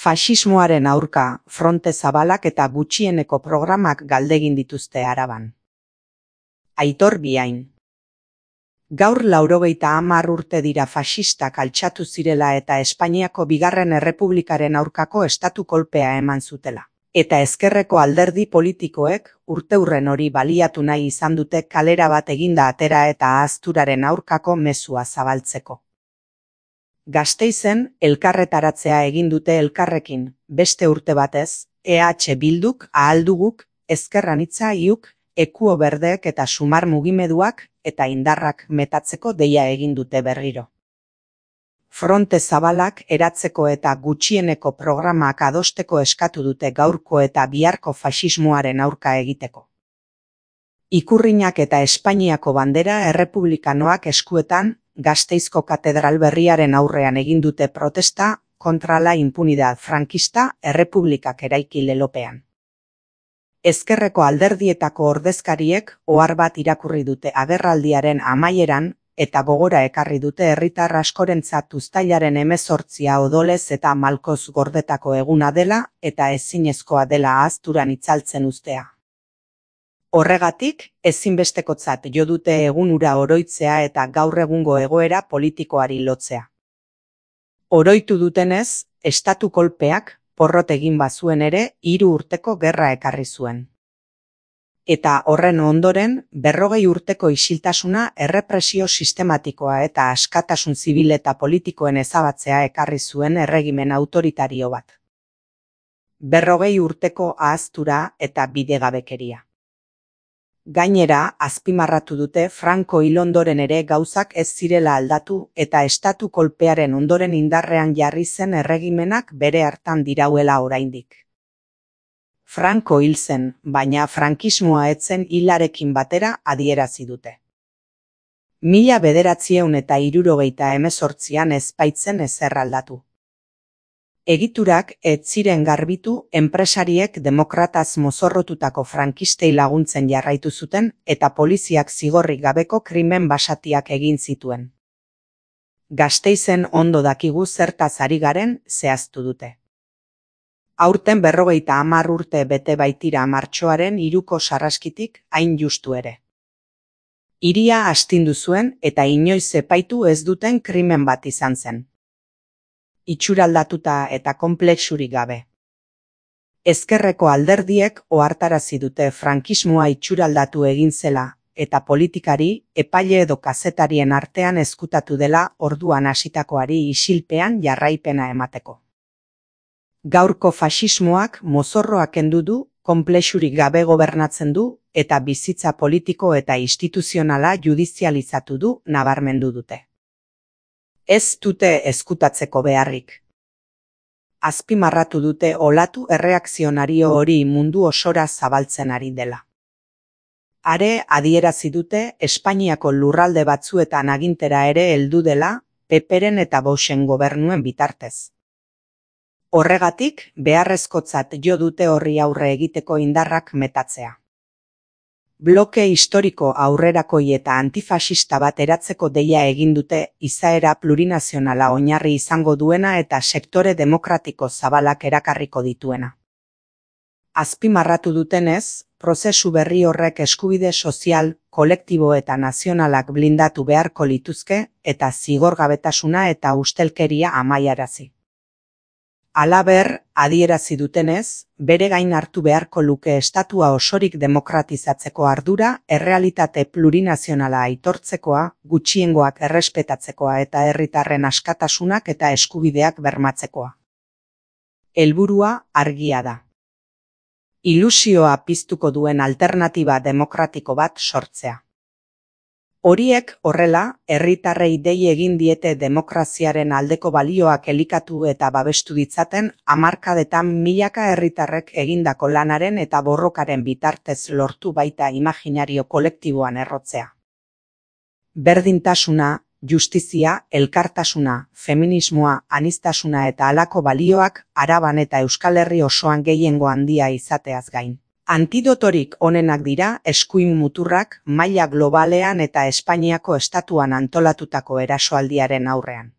Faxismoaren aurka, fronte zabalak eta gutxieneko programak galdegin dituzte Araban. Aitor Biain. Gaur 90 urte dira faxistak altxatu zirela eta Espainiako Bigarren Errepublikaren aurkako estatu kolpea eman zutela. Eta ezkerreko alderdi politikoek urteurren hori baliatu nahi izan dute kalera bat eginda atera eta ahazturaren aurkako mezua zabaltzeko. Gasteizen elkarretaratzea egin dute elkarrekin, beste urte batez, EH Bilduk, Ahalduguk, Ezker Anitza Iuk, Ekuo Berdeek eta Sumar mugimenduak eta indarrak metatzeko deia egin dute berriro. Fronte zabalak eratzeko eta gutxieneko programak adosteko eskatu dute gaurko eta biharko faxismoaren aurka egiteko. Ikurrinak eta Espainiako bandera errepublikanoak eskuetan, Gasteizko katedral berriaren aurrean egin dute protesta kontra la impunidad frankista errepublikak eraiki lelopean. Ezkerreko alderdietako ordezkariek ohar bat irakurri dute agerraldiaren amaieran eta gogora ekarri dute herritar askorentzat uztailaren 18 odolez eta malkoz gordetako eguna dela eta ezinezkoa dela ahazturan itzaltzen uztea. Horregatik, ezinbestekotzat jo dute egun hura oroitzea eta gaur egungo egoera politikoari lotzea. Oroitu dutenez, estatu kolpeak, porrot egin bazuen ere, 3 urteko gerra ekarri zuen. Eta horren ondoren, 40 urteko isiltasuna errepresio sistematikoa eta askatasun zibil eta politikoen ezabatzea ekarri zuen erregimen autoritario bat. 40 urteko ahaztura eta bidegabekeria. Gainera, azpimarratu dute Franco hil ondoren ere gauzak ez zirela aldatu eta estatu kolpearen ondoren indarrean jarri zen erregimenak bere hartan dirauela oraindik. Franco hil zen, baina frankismoa ez zen hilarekin batera adierazi dute. 1978an ez baitzen ezer aldatu. Egiturak ez ziren garbitu enpresariek demokrataz mozorrotutako frankistei laguntzen jarraitu zuten eta poliziak zigorrik gabeko krimen basatiak egin zituen. Gasteizen ondo dakigu zertaz ari garen zehaztu dute. Aurten 50 urte bete baitira martxoaren 3ko sarraskitik hain justu ere. Hiria astindu zuen eta inoiz epaitu ez duten krimen bat izan zen. Itxuraldatuta eta konplexurik gabe. Ezkerreko alderdiek ohartarazi dute frankismoa itxuraldatu egin zela eta politikari, epaile edo kazetarien artean ezkutatu dela orduan hasitakoari isilpean jarraipena emateko. Gaurko faxismoak mozorroak kendu du, konplexurik gabe gobernatzen du eta bizitza politiko eta instituzionala judizializatu du nabarmendu dute. Ez dute ezkutatzeko beharrik. Azpimarratu dute olatu erreakzionario hori mundu osora zabaltzen ari dela. Are adierazi dute Espainiako lurralde batzuetan agintera ere heldu dela Peperen eta Voxen gobernuen bitartez. Horregatik, beharrezkotzat jo dute horri aurre egiteko indarrak metatzea. Bloke historiko aurrerakoi eta antifaxista bat eratzeko deia egin dute izaera plurinazionala oinarri izango duena eta sektore demokratiko zabalak erakarriko dituena. Azpimarratu dutenez, prozesu berri horrek eskubide sozial, kolektibo eta nazionalak blindatu beharko lituzke eta zigorgabetasuna eta ustelkeria amaiarazi. Halaber, adierazi dutenez, bere gain hartu beharko luke estatua osorik demokratizatzeko ardura, errealitate plurinazionala aitortzekoa, gutxiengoak errespetatzekoa eta herritarren askatasunak eta eskubideak bermatzekoa. Helburua argia da. Ilusioa piztuko duen alternatiba demokratiko bat sortzea. Horiek horrela, herritarrei dei egin diete demokraziaren aldeko balioak elikatu eta babestu ditzaten hamarkadetan milaka herritarrek egindako lanaren eta borrokaren bitartez lortu baita imaginario kolektiboan errotzea. Berdintasuna, justizia, elkartasuna, feminismoa, aniztasuna eta halako balioak Araban eta Euskal Herri osoan gehiengo handia izateaz gain. Antidotorik onenak dira eskuin muturrak maila globalean eta Espainiako estatuan antolatutako erasoaldiaren aurrean.